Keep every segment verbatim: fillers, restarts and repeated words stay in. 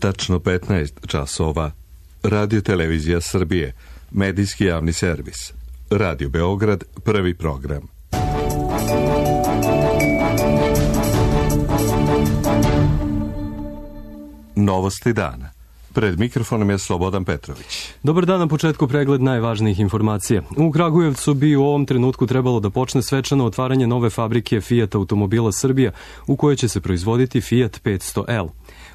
Tačno petnaest časova. Radio Televizija Srbije, medijski javni servis. Radio Beograd, prvi program. Novosti dana. Pred mikrofonom je Slobodan Petrović. Dobar dan, na početku pregled najvažnijih informacija. U Kragujevcu bi u ovom trenutku trebalo da počne svečano otvaranje nove fabrike Fiat automobila Srbija, u kojoj će se proizvoditi Fiat petsto L.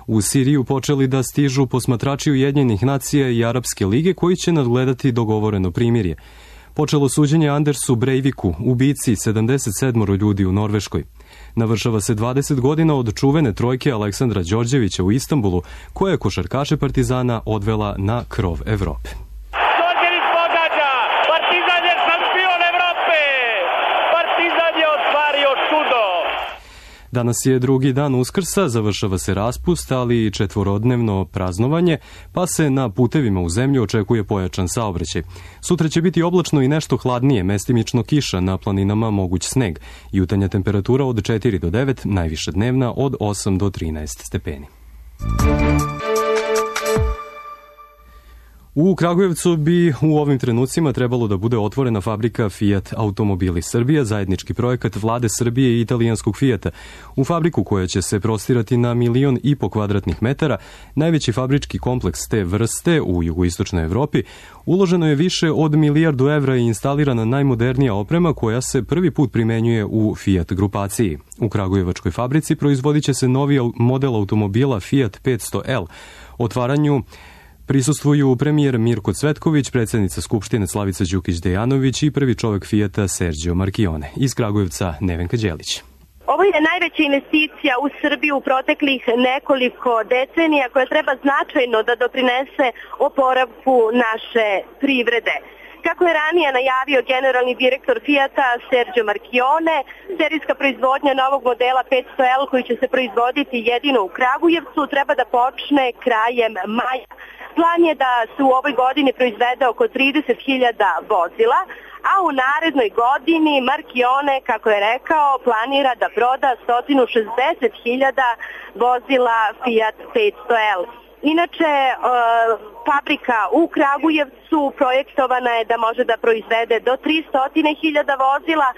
U Siriju počeli da stižu posmatrači Ujedinjenih nacija i Arapske lige koji će nadgledati dogovoreno primirje. Počelo suđenje Andersu Breiviku, ubici sedamdeset sedam ljudi u Norveškoj. Navršava se dvadeset godina od čuvene trojke Aleksandra Đorđevića u Istanbulu, koja je košarkaše Partizana odvela na krov Evrope. Đorđević pogađa! Partizan je šampion Evrope! Partizan je ostvario čudo! Danas je drugi dan Uskrsa, završava se raspust, ali i četvorodnevno praznovanje, pa se na putevima u zemlju očekuje pojačan saobraćaj. Sutra će biti oblačno i nešto hladnije, mestimično kiša, na planinama moguć sneg. Jutarnja temperatura od četiri do devet, najviša dnevna od osam do trinaest stepeni. U Kragujevcu bi u ovim trenucima trebalo da bude otvorena fabrika Fiat automobili Srbija, zajednički projekat vlade Srbije i italijanskog Fiata. U fabriku koja će se prostirati na milion i po kvadratnih metara, najveći fabrički kompleks te vrste u jugoistočnoj Evropi, uloženo je više od milijardu evra i instalirana najmodernija oprema koja se prvi put primenjuje u Fiat grupaciji. U Kragujevačkoj fabrici proizvodit će se novi model automobila Fiat petsto L. Otvaranju prisustvuju premijer Mirko Cvetković, predsjednica Skupštine Slavica Đukić-Dejanović i prvi čovjek Fijata Sergio Marchione. Iz Kragujevca Nevenka Đelić. Ovo je najveća investicija u Srbiji u proteklih nekoliko decenija koja treba značajno da doprinese oporavku naše privrede. Kako je ranije najavio generalni direktor Fijata Sergio Marchione, serijska proizvodnja novog modela petsto L koji će se proizvoditi jedino u Kragujevcu treba da počne krajem maja. Plan je da se u ovoj godini proizvede oko trideset hiljada vozila, a u narednoj godini Marchione, kako je rekao, planira da proda sto šezdeset hiljada vozila Fiat petsto L. Inače, e, fabrika u Kragujevcu projektovana je da može da proizvede do tristo hiljada vozila.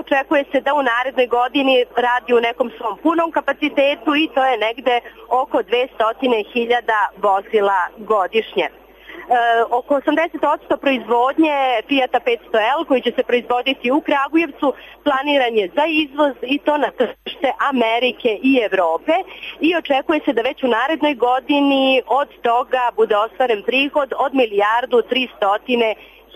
Očekuje se da u narednoj godini radi u nekom svom punom kapacitetu i to je negde oko dvesta hiljada vozila godišnje. E, oko osamdeset posto proizvodnje Fiata petsto L koji će se proizvoditi u Kragujevcu planiran je za izvoz i to na tržište Amerike i Evrope i očekuje se da već u narednoj godini od toga bude ostvaren prihod od milijardu tristo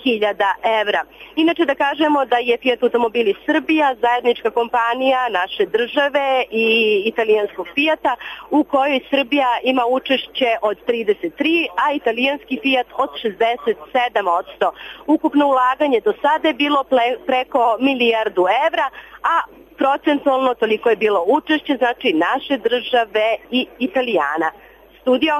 hiljada evra. Inače da kažemo da je Fiat automobili Srbija zajednička kompanija naše države i italijanskog Fijata u kojoj Srbija ima učešće od trideset tri, a italijanski Fijat od šezdeset sedam posto. Ukupno ulaganje do sada je bilo preko milijardu evra, a procentualno toliko je bilo učešće, znači naše države i Italijana. Studio.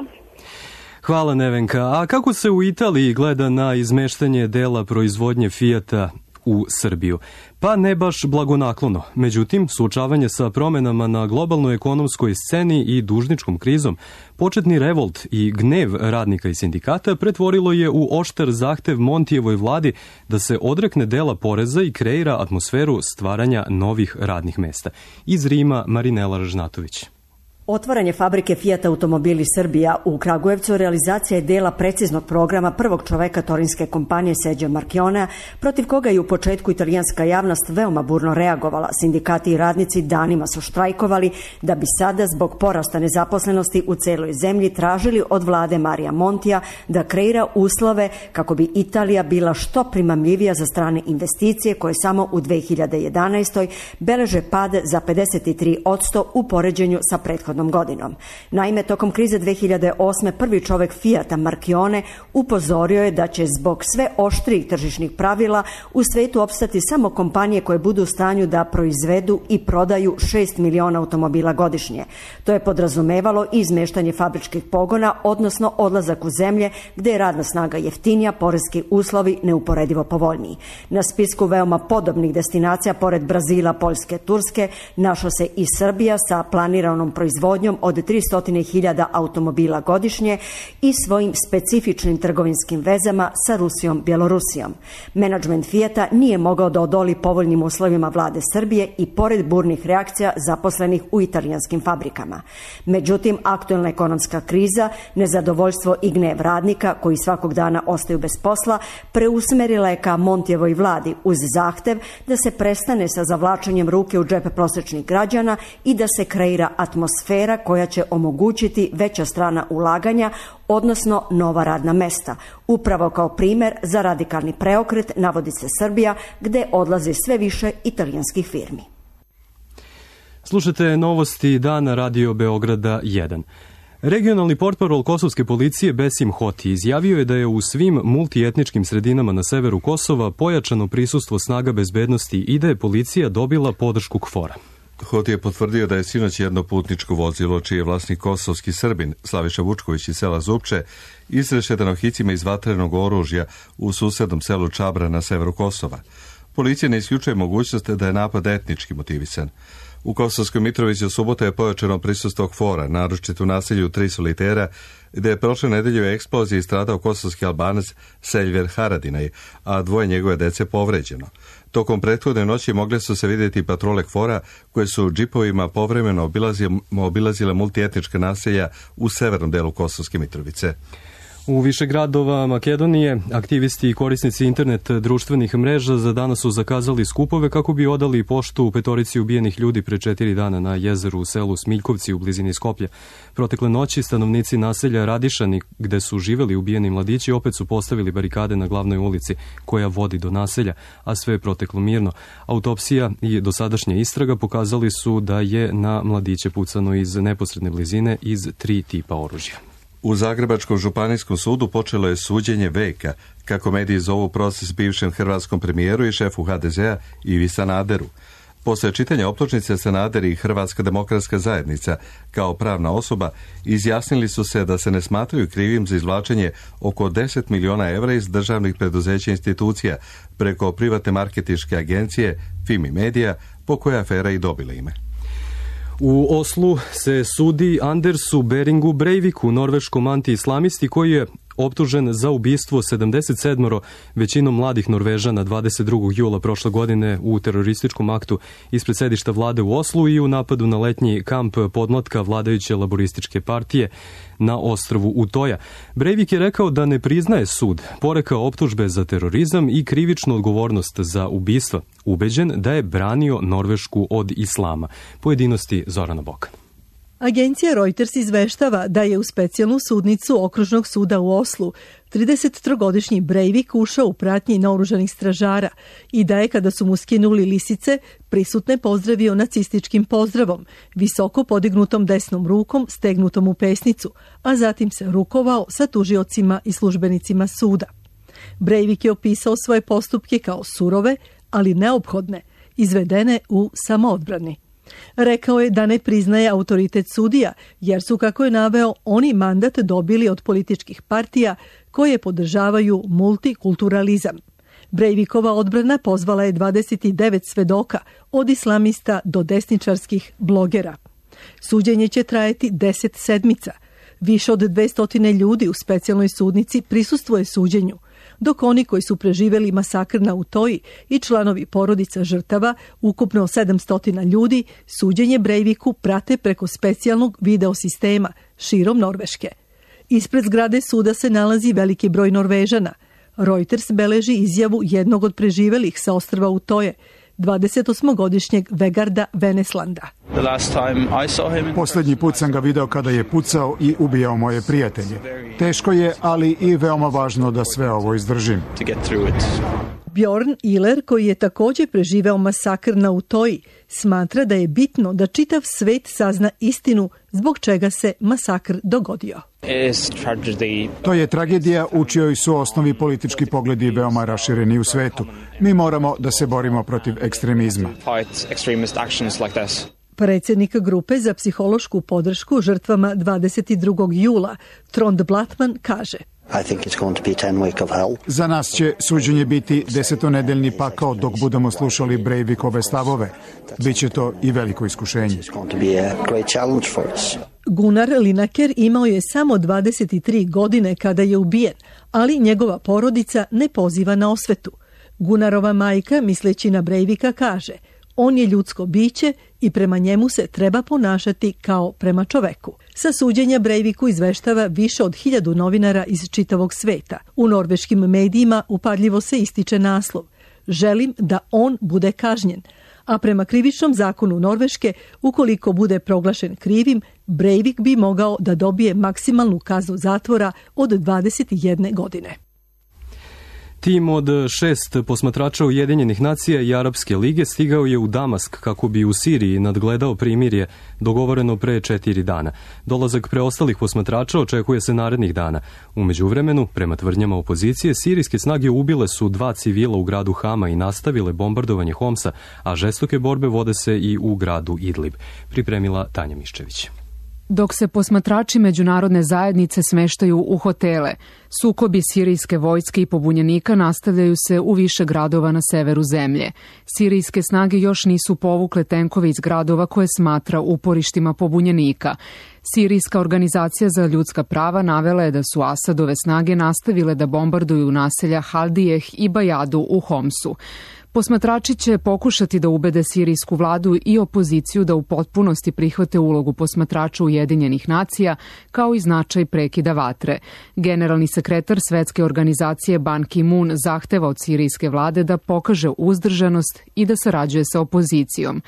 Hvala Nevenka. A kako se u Italiji gleda na izmeštanje dela proizvodnje Fijata u Srbiju? Pa ne baš blagonaklono. Međutim, suočavanje sa promenama na globalnoj ekonomskoj sceni i dužničkom krizom, početni revolt i gnev radnika i sindikata pretvorilo je u oštar zahtev Montijevoj vladi da se odrekne dela poreza i kreira atmosferu stvaranja novih radnih mesta. Iz Rima Marinela Ražnatović. Otvaranje fabrike Fiat automobili Srbija u Kragujevcu realizacija je dela preciznog programa prvog čoveka torinske kompanije Sergio Marchionea, protiv koga je u početku italijanska javnost veoma burno reagovala. Sindikati i radnici danima su štrajkovali da bi sada zbog porasta nezaposlenosti u celoj zemlji tražili od vlade Marija Montija da kreira uslove kako bi Italija bila što primamljivija za strane investicije koje samo u dve hiljade jedanaestoj beleže pad za pedeset tri posto u poređenju sa prethodnom godinom. Naime, tokom krize dve hiljade osme prvi čovek Fijata Marchione upozorio je da će zbog sve oštrijih tržišnih pravila u svetu opstati samo kompanije koje budu u stanju da proizvedu i prodaju šest miliona automobila godišnje. To je podrazumevalo i izmeštanje fabričkih pogona, odnosno odlazak u zemlje gde je radna snaga jeftinija, poreski uslovi neuporedivo povoljniji. Na spisku veoma podobnih destinacija, pored Brazila, Poljske, Turske, našla se i Srbija sa planiranom proizvodnjom proizvodnjom od tristo hiljada automobila godišnje i svojim specifičnim trgovinskim vezama sa Rusijom, Bjelorusijom. Menadžment Fijata nije mogao da odoli povoljnim uslovima vlade Srbije i pored burnih reakcija zaposlenih u italijanskim fabrikama. Međutim, aktuelna ekonomska kriza, nezadovoljstvo i gnev radnika koji svakog dana ostaju bez posla, preusmerila je ka Montijevoj vladi uz zahtev da se prestane sa zavlačenjem ruke u džep prosječnih građana i da se kreira atmosfera koja će omogućiti veća strana ulaganja, odnosno nova radna mesta. Upravo kao primer za radikalni preokret navodi se Srbija, gde odlazi sve više italijanskih firmi. Slušajte novosti dana Radio Beograda jedan. Regionalni portparol kosovske policije Besim Hoti izjavio je da je u svim multietničkim sredinama na severu Kosova pojačano prisustvo snaga bezbednosti i da je policija dobila podršku KFOR-a. Hoti je potvrdio da je sinoć jedno putničko vozilo, čiji je vlasnik kosovski Srbin Slaviša Vučković iz sela Zupče, izrešetano hicima iz vatrenog oružja u susednom selu Čabra na severu Kosova. Policija ne isključuje mogućnost da je napad etnički motivisan. U Kosovskoj Mitrovici u subota je pojačano prisustvo KFOR-a, naročito u naselju Tri Solitera, gde je prošle nedelje u eksploziji stradao kosovski Albanac Seljver Haradinaj, a dvoje njegove dece povređeno. Tokom prethodne noći mogle su se vidjeti patrole KFOR-a koje su džipovima povremeno obilazile, obilazile multietnička naselja u severnom delu Kosovske Mitrovice. U više gradova Makedonije aktivisti i korisnici internet društvenih mreža za danas su zakazali skupove kako bi odali poštu petorici ubijenih ljudi pre četiri dana na jezeru u selu Smiljkovci u blizini Skoplja. Protekle noći stanovnici naselja Radišani, gde su živeli ubijeni mladići, opet su postavili barikade na glavnoj ulici koja vodi do naselja, a sve je proteklo mirno. Autopsija i dosadašnja istraga pokazali su da je na mladiće pucano iz neposredne blizine iz tri tipa oružja. U Zagrebačkom županijskom sudu počelo je suđenje veka, kako mediji zovu proces bivšem hrvatskom premijeru i šefu ha de zea Ivi Sanaderu. Posle čitanja optužnice Sanader i Hrvatska demokratska zajednica kao pravna osoba izjasnili su se da se ne smatraju krivim za izvlačenje oko deset miliona evra iz državnih preduzeća i institucija preko privatne marketinške agencije Fimi Media, po kojoj afera i dobila ime. U Oslu se sudi Andersu Beringu Breiviku, norveškom anti-islamisti koji je optužen za ubistvo sedamdeset sedam većinom mladih Norvežana dvadeset drugog jula prošle godine u terorističkom aktu ispred sedišta vlade u Oslu i u napadu na letnji kamp podmlatka vladajuće laborističke partije na ostrvu Utoja. Breivik je rekao da ne priznaje sud, porekao optužbe za terorizam i krivičnu odgovornost za ubistva, ubeđen da je branio Norvešku od islama. Pojedinosti Zorana Bokan. Agencija Reuters izveštava da je u specijalnu sudnicu okružnog suda u Oslu tridesettrogodišnji Breivik ušao u pratnji naoružanih stražara i da je, kada su mu skinuli lisice, prisutne pozdravio nacističkim pozdravom, visoko podignutom desnom rukom stegnutom u pesnicu, a zatim se rukovao sa tužiocima i službenicima suda. Breivik je opisao svoje postupke kao surove, ali neophodne, izvedene u samoodbrani. Rekao je da ne priznaje autoritet sudija, jer su, kako je naveo, oni mandat dobili od političkih partija koje podržavaju multikulturalizam. Breivikova odbrana pozvala je dvadeset devet svedoka, od islamista do desničarskih blogera. Suđenje će trajati deset sedmica. Više od dvesta ljudi u specijalnoj sudnici prisustvuje suđenju, dok oni koji su preživeli masakr na Utoji i članovi porodica žrtava, ukupno sedamsto ljudi, suđenje Breiviku prate preko specijalnog videosistema širom Norveške. Ispred zgrade suda se nalazi veliki broj Norvežana. Reuters beleži izjavu jednog od preživelih sa ostrva Utoje, dvadesetosmogodišnjeg Vegarda Veneslanda. Posljednji put sam ga video kada je pucao i ubijao moje prijatelje. Teško je, ali i veoma važno da sve ovo izdržim. Bjorn Iler, koji je također preživeo masakr na Utoji, smatra da je bitno da čitav svet sazna istinu zbog čega se masakr dogodio. To je tragedija u čijoj su osnovi politički pogledi veoma rašireni u svetu. Mi moramo da se borimo protiv ekstremizma. Predsjednik grupe za psihološku podršku žrtvama dvadeset drugog jula, Trond Blatman, kaže: Za nas će suđenje biti desetonedeljni pakao dok budemo slušali Breivikove stavove. Biće to i veliko iskušenje. Gunnar Lineker imao je samo dvadeset tri godine kada je ubijen, ali njegova porodica ne poziva na osvetu. Gunnarova majka, misleći na Breivika, kaže: on je ljudsko biće i prema njemu se treba ponašati kao prema čoveku. Sa suđenja Breiviku izveštava više od hiljadu novinara iz čitavog sveta. U norveškim medijima upadljivo se ističe naslov: želim da on bude kažnjen. A prema krivičnom zakonu Norveške, ukoliko bude proglašen krivim, Breivik bi mogao da dobije maksimalnu kaznu zatvora od dvadeset jedne godine. Tim od šest posmatrača Ujedinjenih nacija i Arapske lige stigao je u Damask kako bi u Siriji nadgledao primirje dogovoreno pre četiri dana. Dolazak preostalih posmatrača očekuje se narednih dana. U međuvremenu, prema tvrdnjama opozicije, sirijske snage ubile su dva civila u gradu Hama i nastavile bombardovanje Homsa, a žestoke borbe vode se i u gradu Idlib. Pripremila Tanja Miščević. Dok se posmatrači međunarodne zajednice smeštaju u hotele, sukobi sirijske vojske i pobunjenika nastavljaju se u više gradova na severu zemlje. Sirijske snage još nisu povukle tenkove iz gradova koje smatra uporištima pobunjenika. Sirijska organizacija za ljudska prava navela je da su Asadove snage nastavile da bombarduju naselja Haldijeh i Bajadu u Homsu. Posmatrači će pokušati da ubede sirijsku vladu i opoziciju da u potpunosti prihvate ulogu posmatrača Ujedinjenih nacija, kao i značaj prekida vatre. Generalni sekretar Svetske organizacije Ban Ki-moon zahteva od sirijske vlade da pokaže uzdržanost i da sarađuje sa opozicijom.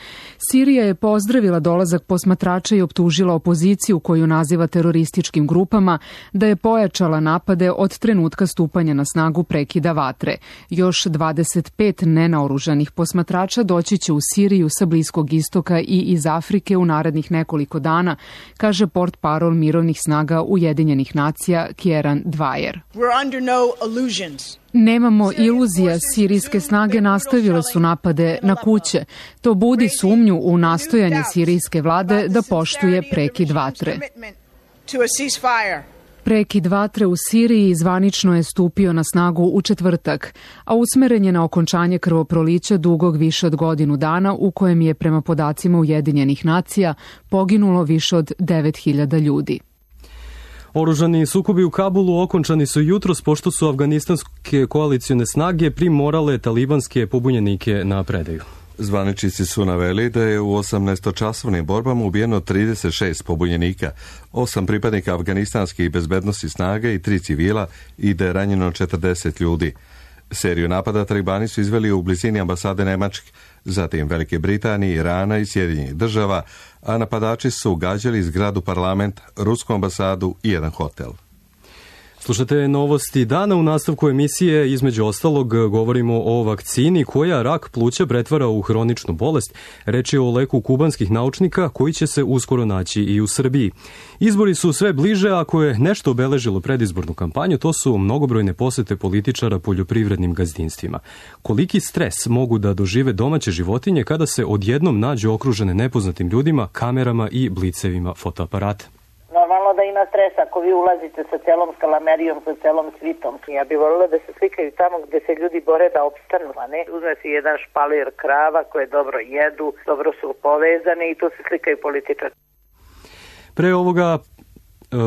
Sirija je pozdravila dolazak posmatrača i optužila opoziciju, koju naziva terorističkim grupama, da je pojačala napade od trenutka stupanja na snagu prekida vatre. Još dvadeset pet nenaoružanih posmatrača doći će u Siriju sa Bliskog istoka i iz Afrike u narednih nekoliko dana, kaže portparol mirovnih snaga Ujedinjenih nacija Kieran Dwyer. Nemamo iluzija, sirijske snage nastavile su napade na kuće. To budi sumnju u nastojanje sirijske vlade da poštuje prekid vatre. Prekid vatre u Siriji zvanično je stupio na snagu u četvrtak, a usmeren je na okončanje krvoprolića dugog više od godinu dana, u kojem je prema podacima Ujedinjenih nacija poginulo više od devet hiljada ljudi. Oružani sukobi u Kabulu okončani su jutros pošto su afganistanske koalicione snage primorale talibanske pobunjenike na predaju. Zvaničnici su naveli da je u osamnaestočasovnim borbama ubijeno trideset šest pobunjenika, osam pripadnika afganistanskih bezbednosti snaga i tri civila i da je ranjeno četrdeset ljudi. Seriju napada talibani su izveli u blizini ambasade Nemačke, zatim Velike Britanije, Irana i Sjedinjenih država, a napadači su gađali zgradu parlamenta, rusku ambasadu i jedan hotel. Slušate novosti dana. U nastavku emisije, između ostalog, govorimo o vakcini koja rak pluća pretvara u hroničnu bolest. Reč je o leku kubanskih naučnika koji će se uskoro naći i u Srbiji. Izbori su sve bliže, ako je nešto obeležilo predizbornu kampanju, to su mnogobrojne posete političara poljoprivrednim gazdinstvima. Koliki stres mogu da dožive domaće životinje kada se odjednom nađu okružene nepoznatim ljudima, kamerama i blicevima fotoaparata? Normalno da ima stresa ako vi ulazite sa celom skalamerijom, sa celom svitom. Ja bih voljela da se slikaju tamo gde se ljudi bore da opstanu, a ne uzme si jedan špalir krava koje dobro jedu, dobro su povezane i tu se slikaju političari. Pre ovoga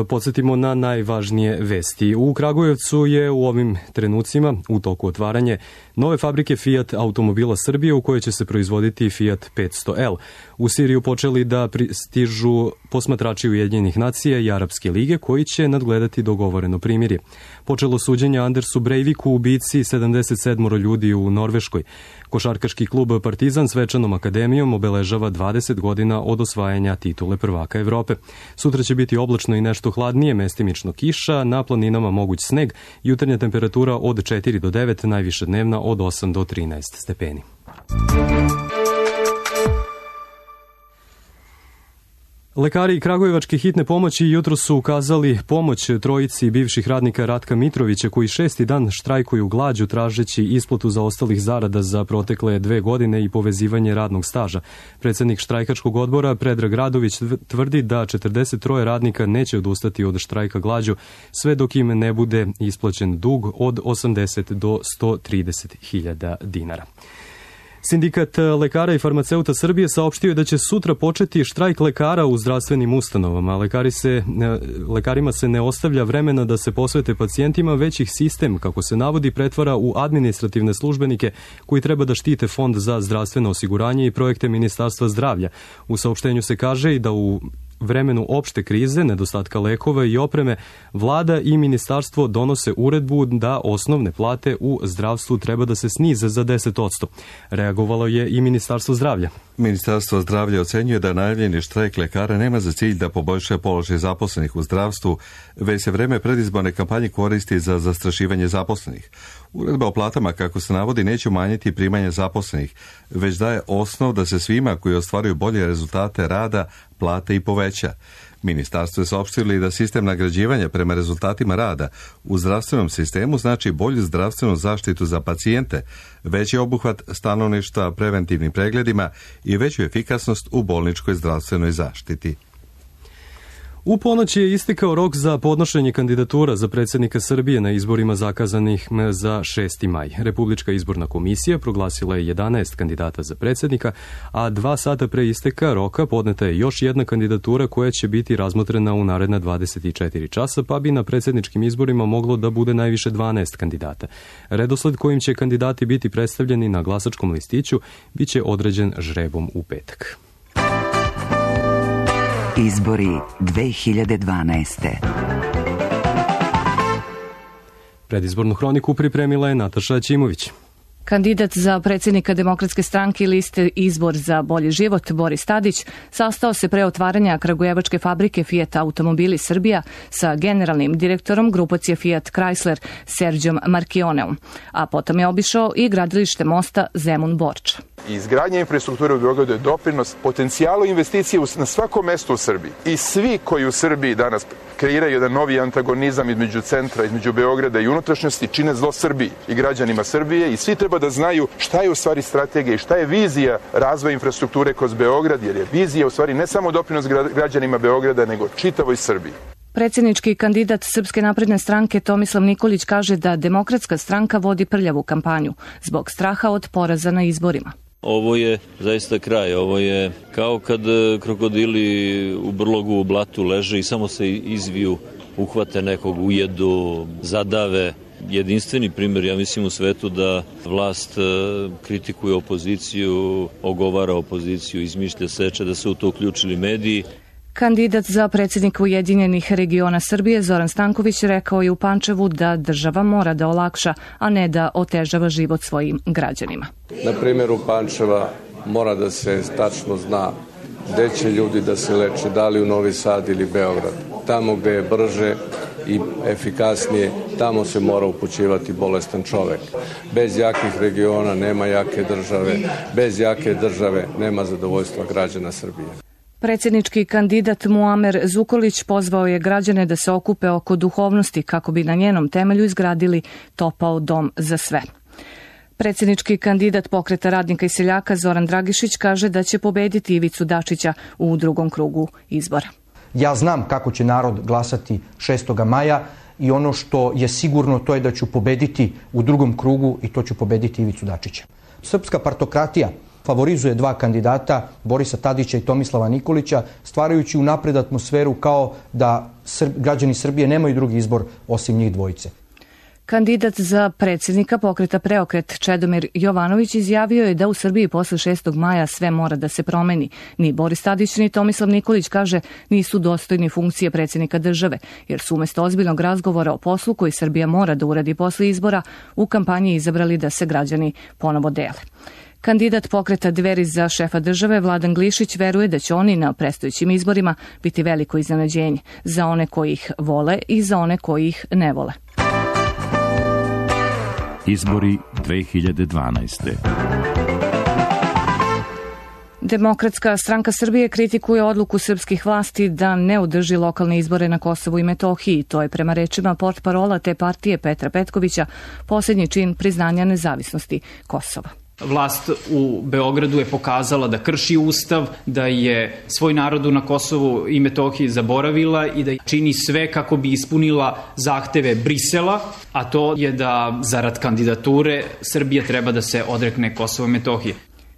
podsjetimo na najvažnije vesti. U Kragujevcu je u ovim trenucima u toku otvaranje nove fabrike Fiat automobila Srbije u kojoj će se proizvoditi Fiat petsto L. U Siriju počeli da stižu posmatrači Ujedinjenih nacija i Arapske lige koji će nadgledati dogovoreno primirje. Počelo suđenje Andersu Breiviku, ubici sedamdeset sedam ljudi u Norveškoj. Košarkaški klub Partizan svečanom akademijom obeležava dvadeset godina od osvajanja titule prvaka Evrope. Sutra će biti oblačno i nešto hladnije, mestimično kiša, na planinama moguć sneg, jutarnja temperatura od četiri do devet, najviša dnevna od osam do trinaest stepeni. Lekari Kragujevačke hitne pomoći jutro su ukazali pomoć trojici bivših radnika Ratka Mitrovića koji šesti dan štrajkuju glađu tražeći isplatu zaostalih zarada za protekle dve godine i povezivanje radnog staža. Predsjednik štrajkačkog odbora Predrag Radović tvrdi da četrdeset tri radnika neće odustati od štrajka glađu sve dok im ne bude isplaćen dug od osamdeset do sto trideset hiljada dinara. Sindikat lekara i farmaceuta Srbije saopštio je da će sutra početi štrajk lekara u zdravstvenim ustanovama. Lekari se, lekarima se ne ostavlja vremena da se posvete pacijentima, već ih sistem, kako se navodi, pretvara u administrativne službenike koji treba da štite Fond za zdravstveno osiguranje i projekte Ministarstva zdravlja. U saopštenju se kaže i da u vremenu opšte krize, nedostatka lekova i opreme, vlada i ministarstvo donose uredbu da osnovne plate u zdravstvu treba da se snize za deset posto. Reagovalo je i Ministarstvo zdravlja. Ministarstvo zdravlja ocenjuje da najavljeni štrajk lekara nema za cilj da poboljša položaj zaposlenih u zdravstvu, već se vreme predizborne kampanje koristi za zastrašivanje zaposlenih. Uredba o platama, kako se navodi, neće umanjiti primanje zaposlenih, već daje osnov da se svima koji ostvaruju bolje rezultate rada plate i poveća. Ministarstvo je saopštilo i da sistem nagrađivanja prema rezultatima rada u zdravstvenom sistemu znači bolju zdravstvenu zaštitu za pacijente, veći obuhvat stanovništva preventivnim pregledima i veću efikasnost u bolničkoj zdravstvenoj zaštiti. U ponoć je istekao rok za podnošenje kandidatura za predsjednika Srbije na izborima zakazanih za šesti maj. Republička izborna komisija proglasila je jedanaest kandidata za predsjednika, a dva sata pre isteka roka podneta je još jedna kandidatura koja će biti razmotrena u naredna dvadeset četiri časa, pa bi na predsjedničkim izborima moglo da bude najviše dvanaest kandidata. Redosled kojim će kandidati biti predstavljeni na glasačkom listiću biće određen žrebom u petak. Izbori dve hiljade dvanaeste. Predizbornu hroniku pripremila je Nataša Ćimović. Kandidat za predsjednika Demokratske stranke i liste Izbor za bolji život Boris Tadić sastao se pre otvaranja kragujevačke fabrike Fiat Automobili Srbija sa generalnim direktorom grupacije Fiat Chrysler Serđom Markioneom, a potom je obišao i gradilište mosta Zemun-Borča. Izgradnja infrastrukture u Beogradu je doprinos potencijalu investicije na svakom mestu u Srbiji. I svi koji u Srbiji danas kreiraju jedan novi antagonizam između centra, između Beograda i unutrašnjosti, čine zlo Srbiji i građanima Srbije i svi treba da znaju šta je u stvari strategija i šta je vizija razvoja infrastrukture kroz Beograd, jer je vizija u stvari ne samo doprinos građanima Beograda, nego čitavoj Srbiji. Predsjednički kandidat Srpske napredne stranke Tomislav Nikolić kaže da Demokratska stranka vodi prljavu kampanju zbog straha od poraza na izborima. Ovo je zaista kraj, ovo je kao kad krokodili u brlogu u blatu leže i samo se izviju, uhvate nekog, ujedu, zadave. Jedinstveni primjer, ja mislim, u svetu da vlast kritikuje opoziciju, ogovara opoziciju, izmišlja seče, da se u to uključili mediji. Kandidat za predsjednika Ujedinjenih regiona Srbije Zoran Stanković rekao je u Pančevu da država mora da olakša, a ne da otežava život svojim građanima. Na primjeru Pančeva mora da se tačno zna gde će ljudi da se leče, da li u Novi Sad ili Beograd. Tamo gde je brže i efikasnije, tamo se mora upućivati bolestan čovek. Bez jakih regiona nema jake države, bez jake države nema zadovoljstva građana Srbije. Predsjednički kandidat Muamer Zukorlić pozvao je građane da se okupe oko duhovnosti kako bi na njenom temelju izgradili topao dom za sve. Predsjednički kandidat Pokreta radnika i seljaka Zoran Dragišić kaže da će pobediti Ivicu Dačića u drugom krugu izbora. Ja znam kako će narod glasati šestog maja i ono što je sigurno to je da ću pobediti u drugom krugu i to ću pobediti Ivicu Dačića. Srpska partokratija favorizuje dva kandidata, Borisa Tadića i Tomislava Nikolića, stvarajući unapred atmosferu kao da građani Srbije nemaju drugi izbor osim njih dvojice. Kandidat za predsjednika Pokreta Preokret Čedomir Jovanović izjavio je da u Srbiji posle šestog maja sve mora da se promeni. Ni Boris Tadić ni Tomislav Nikolić, kaže, nisu dostojni funkcije predsjednika države, jer su umjesto ozbiljnog razgovora o poslu koji Srbija mora da uradi posle izbora u kampanji izabrali da se građani ponovo dele. Kandidat Pokreta Dveri za šefa države Vladan Glišić veruje da će oni na predstojećim izborima biti veliko iznenađenje za one koji ih vole i za one koji ih ne vole. Izbori dve hiljade dvanaeste. Demokratska stranka Srbije kritikuje odluku srpskih vlasti da ne održi lokalne izbore na Kosovu i Metohiji. To je prema rečima portparola te partije Petra Petkovića posljednji čin priznanja nezavisnosti Kosova. Vlast u Beogradu je pokazala da krši ustav, da je svoj narodu na Kosovu i Metohiji zaboravila i da čini sve kako bi ispunila zahteve Brisela, a to je da zarad kandidature Srbija treba da se odrekne Kosova i Metohije.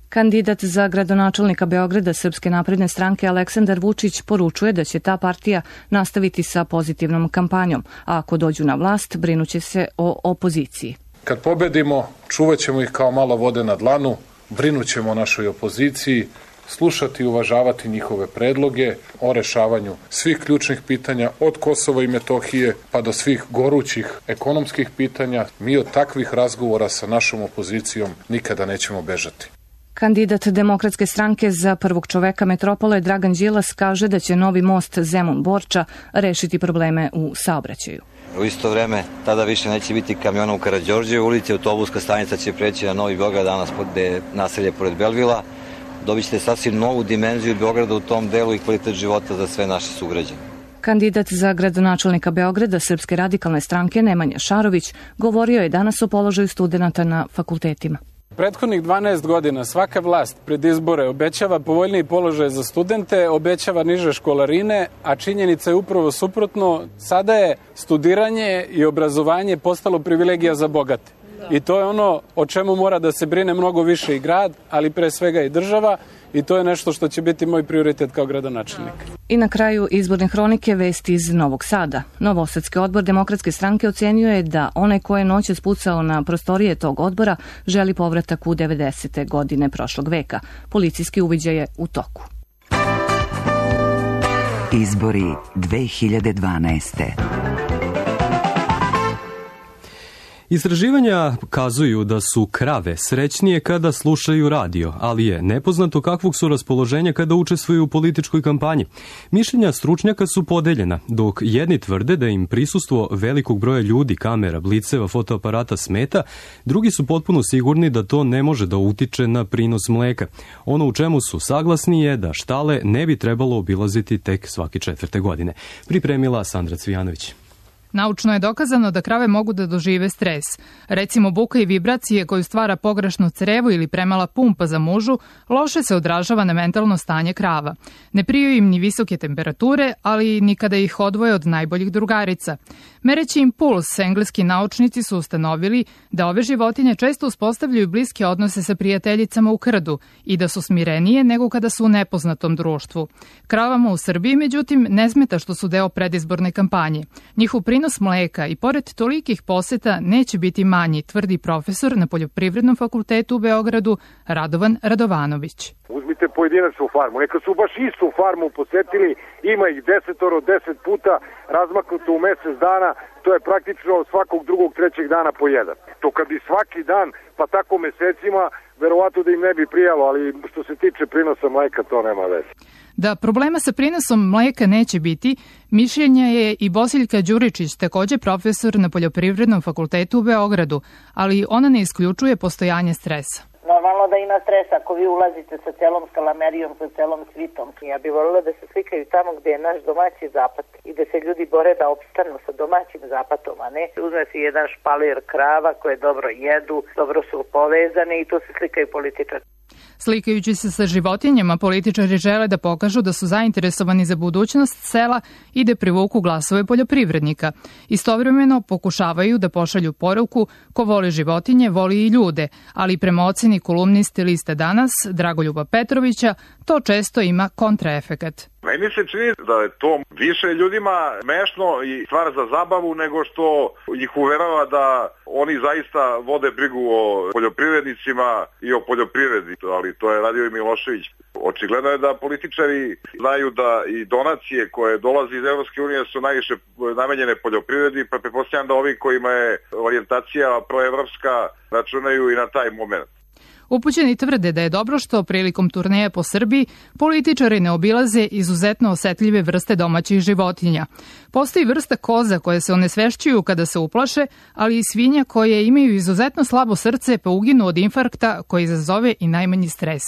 Kandidat za gradonačelnika Beograda Srpske napredne stranke Aleksandar Vučić poručuje da će ta partija nastaviti sa pozitivnom kampanjom, a ako dođu na vlast brinuće se o opoziciji. Kad pobedimo, čuvat ćemo ih kao malo vode na dlanu, brinut ćemo o našoj opoziciji, slušati i uvažavati njihove predloge o rešavanju svih ključnih pitanja od Kosova i Metohije pa do svih gorućih ekonomskih pitanja. Mi od takvih razgovora sa našom opozicijom nikada nećemo bežati. Kandidat Demokratske stranke za prvog čoveka metropole Dragan Đilas kaže da će novi most Zemun-Borča rešiti probleme u saobraćaju. U isto vreme, tada više neće biti kamiona u Karađorđevoj ulici, autobuska stanica će preći na Novi Beograd, danas je naselje pored Belvila. Dobit ćete sasvim novu dimenziju Beograda u tom delu i kvalitet života za sve naše sugrađane. Kandidat za gradonačelnika Beograda Srpske radikalne stranke Nemanja Šarović govorio je danas o položaju studenata na fakultetima. Prethodnih dvanaest godina svaka vlast pred izbore obećava povoljniji položaj za studente, obećava niže školarine, a činjenica je upravo suprotno. Sada je studiranje i obrazovanje postalo privilegija za bogate. I to je ono o čemu mora da se brine mnogo više i grad, ali pre svega i država, i to je nešto što će biti moj prioritet kao gradonačelnik. I na kraju izborne hronike vesti iz Novog Sada. Novosadski odbor Demokratske stranke ocenio je da onaj ko je noćas pucao na prostorije tog odbora želi povratak u devedesete godine prošlog veka. Policijski uviđaj je u toku. Izbori dve hiljade dvanaeste. Istraživanja kazuju da su krave srećnije kada slušaju radio, ali je nepoznato kakvog su raspoloženja kada učestvuju u političkoj kampanji. Mišljenja stručnjaka su podeljena, dok jedni tvrde da im prisustvo velikog broja ljudi, kamera, bliceva, fotoaparata smeta, drugi su potpuno sigurni da to ne može da utiče na prinos mleka. Ono u čemu su saglasni je da štale ne bi trebalo obilaziti tek svake četvrte godine. Pripremila Sandra Cvijanović. Naučno je dokazano da krave mogu da dožive stres. Recimo buka i vibracije koju stvara pogrešno crevo ili premala pumpa za mužu loše se odražava na mentalno stanje krava. Ne priju im ni visoke temperature, ali ni kada ih odvoje od najboljih drugarica. Mereći im puls, engleski naučnici su ustanovili da ove životinje često uspostavljaju bliske odnose sa prijateljicama u krdu i da su smirenije nego kada su u nepoznatom društvu. Kravama u Srbiji, međutim, ne smeta što su deo predizborne kampanje. Njihov prinos mleka i pored tolikih poseta neće biti manji, tvrdi profesor na Poljoprivrednom fakultetu u Beogradu Radovan Radovanović. Uzmite pojedinačnu farmu, neka su baš istu farmu posetili, ima ih desetoro, deset puta, razmaknuto u mesec dana, to je praktično svakog drugog, trećeg dana po jedan. To kad bi svaki dan, pa tako mesecima, verovatno da im ne bi prijalo, ali što se tiče prinosa mleka, to nema veze. Da problema sa prinosom mleka neće biti, mišljenja je i Bosiljka Đuričić, takođe profesor na Poljoprivrednom fakultetu u Beogradu, ali ona ne isključuje postojanje stresa. Normalno da ima stresa ako vi ulazite sa celom skalamerijom, sa celom svitom. Ja bih voljela da se slikaju tamo gde je naš domaći zapad i da se ljudi bore da opstanu sa domaćim zapatom, a ne uzme si jedan špalir krava koje dobro jedu, dobro su povezane i to se slikaju političari. Slikajući se sa životinjama, političari žele da pokažu da su zainteresovani za budućnost sela i da privuku glasove poljoprivrednika. Istovremeno pokušavaju da pošalju poruku ko voli životinje, voli i ljude, ali prema oceni kolumniste Liste Danas, Dragoljuba Petrovića, to često ima kontraefekat. Meni se čini da je to više ljudima smešno i stvar za zabavu nego što ih uverava da oni zaista vode brigu o poljoprivrednicima i o poljoprivredi, ali to je radio i Milošević. Očigledno je da političari znaju da i donacije koje dolaze iz Evropske unije su najviše namenjene poljoprivredi, pa pretpostavljam da ovi kojima je orijentacija proevropska računaju i na taj moment. Upućeni tvrde da je dobro što prilikom turneja po Srbiji političari ne obilaze izuzetno osetljive vrste domaćih životinja. Postoji vrsta koza koje se onesvešćuju kada se uplaše, ali i svinja koje imaju izuzetno slabo srce pa uginu od infarkta koji izazove i najmanji stres.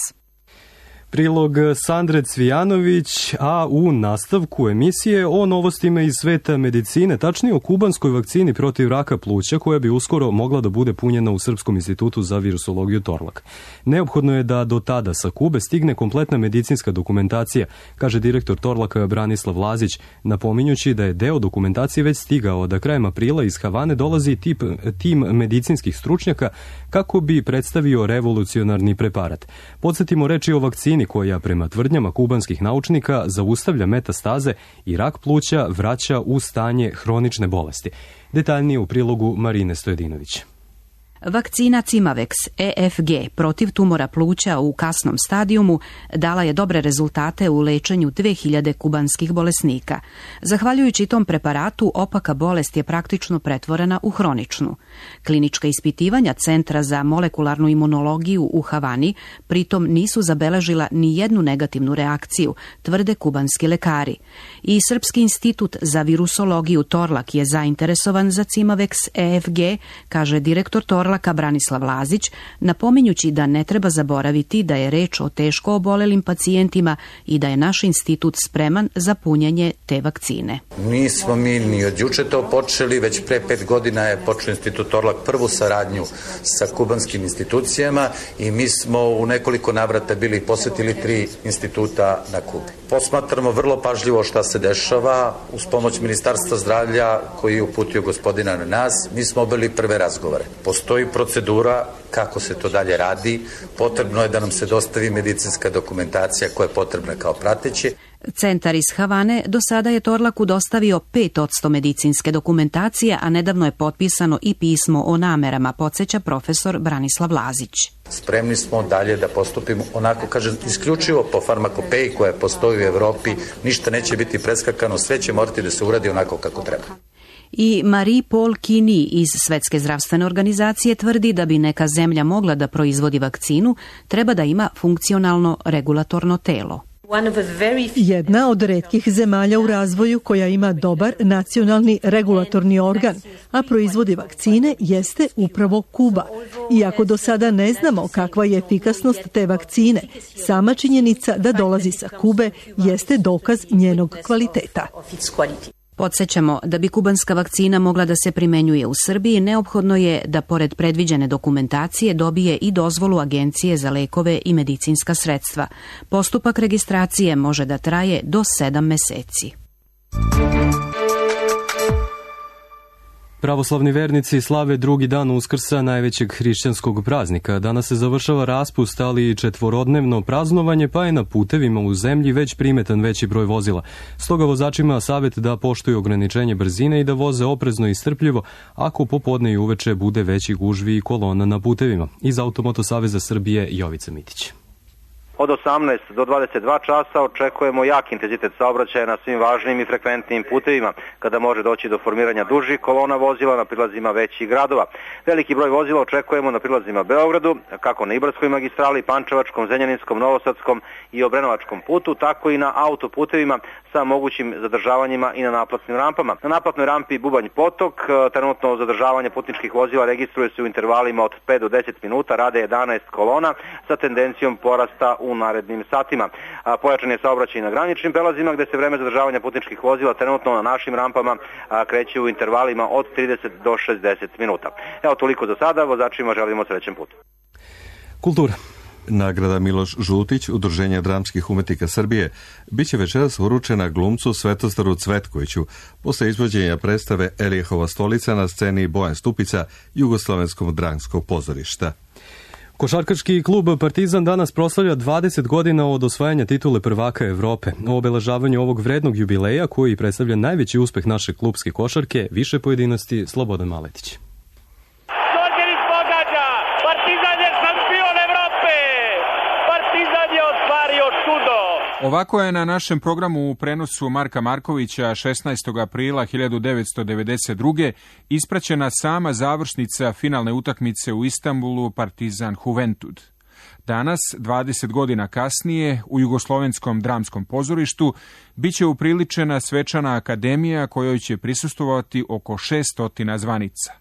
Prilog Sandre Cvijanović, a u nastavku emisije o novostima iz sveta medicine, tačnije o kubanskoj vakcini protiv raka pluća koja bi uskoro mogla da bude punjena u Srpskom institutu za virusologiju Torlak. Neophodno je da do tada sa Kube stigne kompletna medicinska dokumentacija, kaže direktor Torlaka Branislav Lazić, napominjući da je deo dokumentacije već stigao, da krajem aprila iz Havane dolazi tip, tim medicinskih stručnjaka kako bi predstavio revolucionarni preparat. Podsjetimo, reči o vakcini koja prema tvrdnjama kubanskih naučnika zaustavlja metastaze i rak pluća vraća u stanje hronične bolesti. Detaljnije u prilogu Marine Stojedinović. Vakcina Cimavex E F G protiv tumora pluća u kasnom stadijumu dala je dobre rezultate u lečenju dve hiljade kubanskih bolesnika. Zahvaljujući tom preparatu, opaka bolest je praktično pretvorena u hroničnu. Klinička ispitivanja Centra za molekularnu imunologiju u Havani pritom nisu zabeležila ni jednu negativnu reakciju, tvrde kubanski lekari. I Srpski institut za virusologiju Torlak je zainteresovan za Cimavex E F G, kaže direktor Torlaka Branislav Lazić, napominjući da ne treba zaboraviti da je reč o teško obolelim pacijentima i da je naš institut spreman za punjenje te vakcine. Nismo mi ni od juče to počeli, već pre pet godina je počeo institut Torlak prvu saradnju sa kubanskim institucijama i mi smo u nekoliko navrata bili posjetili tri instituta na Kubi. Posmatramo vrlo pažljivo šta se dešava uz pomoć Ministarstva zdravlja koji je uputio gospodina na nas. Mi smo obavili prve razgovore. Postoji procedura kako se to dalje radi. Potrebno je da nam se dostavi medicinska dokumentacija koja je potrebna kao prateće. Centar iz Havane do sada je Torlaku dostavio pet odsto medicinske dokumentacije, a nedavno je potpisano i pismo o namerama, podsjeća profesor Branislav Lazić. Spremni smo dalje da postupimo onako, kažem, isključivo po farmakopeji koja postoji u Evropi. Ništa neće biti preskakano, sve će morati da se uradi onako kako treba. I Marie-Paul Kini iz Svetske zdravstvene organizacije tvrdi da bi neka zemlja mogla da proizvodi vakcinu, treba da ima funkcionalno regulatorno telo. Jedna od retkih zemalja u razvoju koja ima dobar nacionalni regulatorni organ, a proizvodi vakcine, jeste upravo Kuba. Iako do sada ne znamo kakva je efikasnost te vakcine, sama činjenica da dolazi sa Kube jeste dokaz njenog kvaliteta. Podsjećamo, da bi kubanska vakcina mogla da se primenjuje u Srbiji, neophodno je da pored predviđene dokumentacije dobije i dozvolu Agencije za lekove i medicinska sredstva. Postupak registracije može da traje do sedam meseci. Pravoslavni vernici slave drugi dan Uskrsa, najvećeg hrišćanskog praznika. Danas se završava raspust, ali i četvorodnevno praznovanje, pa je na putevima u zemlji već primetan veći broj vozila. Stoga vozačima savjet da poštuju ograničenje brzine i da voze oprezno i strpljivo, ako popodne i uveče bude veći gužvi i kolona na putevima. Iz Automoto saveza Srbije, Jovica Mitić. Od osamnaest do dvadeset dva časa očekujemo jak intenzitet saobraćaja na svim važnim i frekventnim putevima, kada može doći do formiranja dužih kolona vozila na prilazima većih gradova. Veliki broj vozila očekujemo na prilazima Beogradu, kako na Ibarskoj magistrali, Pančevačkom, Zrenjaninskom, Novosadskom i Obrenovačkom putu, tako i na autoputevima sa mogućim zadržavanjima i na naplatnim rampama. Na naplatnoj rampi Bubanj Potok trenutno zadržavanje putničkih vozila registruje se u intervalima od pet do deset minuta, rade jedanaest kolona sa tendencijom porasta u narednim satima. A, pojačan je saobraćaj na graničnim prelazima gde se vreme zadržavanja putničkih vozila trenutno na našim rampama a, kreće u intervalima od trideset do šezdeset minuta. Evo toliko za sada, vozačima želimo srećan put. Kultura. Nagrada Miloš Žutić, Udruženja dramskih umetnika Srbije, biće večeras uručena glumcu Svetostaru Cvetkoviću posle izvođenja predstave Elijehova stolica na sceni Bojan Stupica Jugoslovenskog dramskog pozorišta. Košarkaški klub Partizan danas proslavlja dvadeset godina od osvajanja titule prvaka Evrope. O obeležavanju ovog vrednog jubileja, koji predstavlja najveći uspeh naše klubske košarke, više pojedinosti Slobodan Maletić. Đorđević pogađa! Partizan je šampion Evrope! Partizan je ostvario čudo! Ovako je na našem programu u prenosu Marka Markovića šesnaestog aprila hiljadu devetsto devedeset druge ispraćena sama završnica finalne utakmice u Istanbulu Partizan Juventud. Danas, dvadeset godina kasnije, u Jugoslovenskom dramskom pozorištu biće upriličena svečana akademija kojoj će prisustvovati oko šesto zvanica.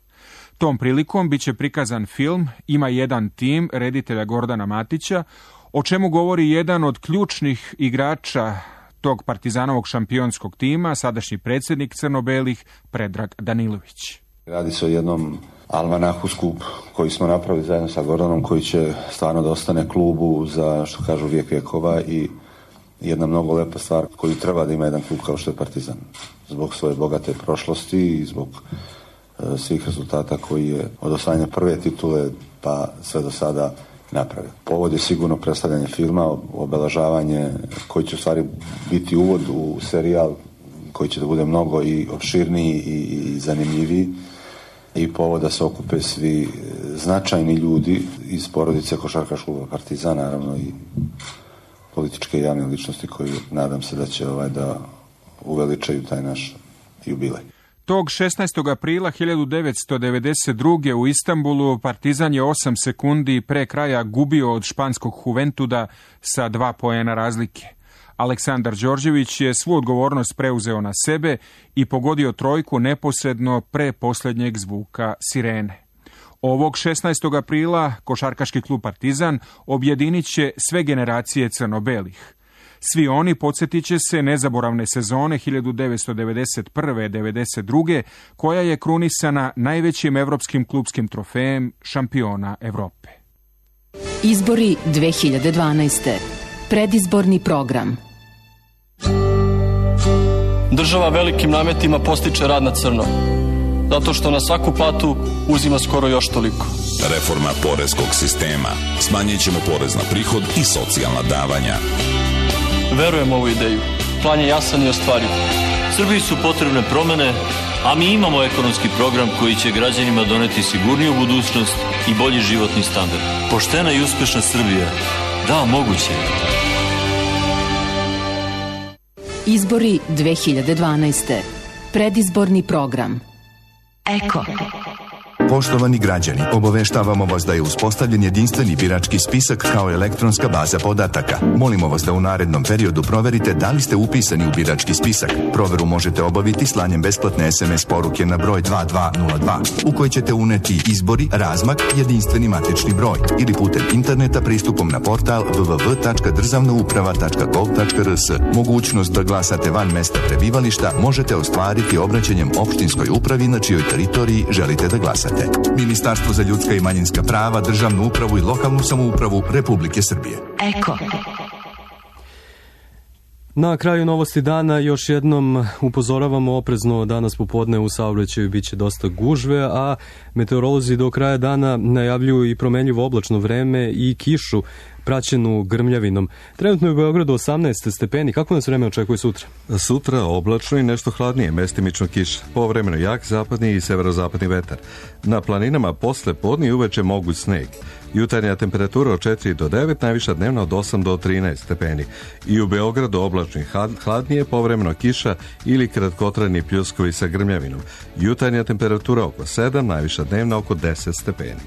Tom prilikom biće prikazan film Ima jedan tim reditelja Gordana Matića o čemu govori jedan od ključnih igrača tog Partizanovog šampionskog tima, sadašnji predsjednik crno-belih Predrag Danilović. Radi se o jednom almanahu skup koji smo napravili zajedno sa Gordanom, koji će stvarno da ostane klubu za, što kažu, vijek vjekova i jedna mnogo lepa stvar koju treba da ima jedan klub kao što je Partizan. Zbog svoje bogate prošlosti i zbog e, svih rezultata koji je od osvajanja prve titule pa sve do sada napravio. Povod je sigurno predstavljanje filma, obeležavanje koji će u stvari biti uvod u serijal koji će da bude mnogo i opširniji i, i zanimljiviji i povod da se okupe svi značajni ljudi iz porodice košarkaškog kluba Partizan, naravno i političke i javne ličnosti koji nadam se da će ovaj da uveličaju taj naš jubilej. Tog šesnaestog aprila hiljadu devetsto devedeset druge. u Istanbulu Partizan je osam sekundi pre kraja gubio od španskog Juventuda sa dva poena razlike. Aleksandar Đorđević je svu odgovornost preuzeo na sebe i pogodio trojku neposredno pre posljednjeg zvuka sirene. Ovog šesnaestog aprila košarkaški klub Partizan objedinit će sve generacije crno-belih. Svi oni podsjetit će se nezaboravne sezone hiljadu devetsto devedeset prve. devedeset druge. koja je krunisana najvećim evropskim klubskim trofejem šampiona Evrope. Izbori dve hiljade dvanaeste. Predizborni program. Država velikim nametima postiče rad na crno, zato što na svaku platu uzima skoro još toliko. Reforma poreskog sistema. Smanjit ćemo porez na prihod i socijalna davanja. Verujem u ovu ideju. Plan je jasan i ostvariv. Srbiji su potrebne promene, a mi imamo ekonomski program koji će građanima doneti sigurniju budućnost i bolji životni standard. Poštena i uspešna Srbija. Da, moguće je. Izbori dve hiljade dvanaeste. Predizborni program. Eko. Poštovani građani, obaveštavamo vas da je uspostavljen jedinstveni birački spisak kao elektronska baza podataka. Molimo vas da u narednom periodu proverite da li ste upisani u birački spisak. Proveru možete obaviti slanjem besplatne es em es poruke na broj dva dva nula dva, u kojoj ćete uneti izbori, razmak, jedinstveni matični broj ili putem interneta pristupom na portal w w w tačka državna uprava tačka gov tačka r s. Mogućnost da glasate van mesta prebivališta možete ostvariti obraćanjem opštinskoj upravi na čijoj teritoriji želite da glasate. Ministarstvo za ljudska i manjinska prava, državnu upravu i lokalnu samoupravu Republike Srbije. Eko. Na kraju novosti dana još jednom upozoravamo oprezno danas popodne u saobraćaju biće dosta gužve, a meteorolozi do kraja dana najavljuju i promenljivo oblačno vreme i kišu praćenu grmljavinom. Trenutno je u Beogradu osamnaest stepeni. Kako nas vreme očekuje sutra? Sutra oblačno i nešto hladnije, mestimično kiša. Povremeno jak zapadni i severozapadni vetar. Na planinama posle podne i uveče moguć sneg. Jutarnja temperatura od četiri do devet, najviša dnevna od osam do trinaest stepeni. I u Beogradu oblačno i hladnije, povremeno kiša ili kratkotrajni pljuskovi sa grmljavinom. Jutarnja temperatura oko sedam, najviša dnevna oko deset stepeni.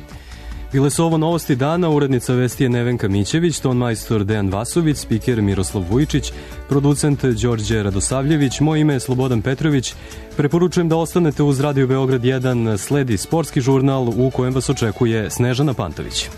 Bile su ovo novosti dana, urednica vesti je Nevenka Mićević, ton majstor Dejan Vasović, spiker Miroslav Vujičić, producent Đorđe Radosavljević, moje ime je Slobodan Petrović. Preporučujem da ostanete uz Radio Beograd jedan, sledi sportski žurnal u kojem vas očekuje Snežana Pantović.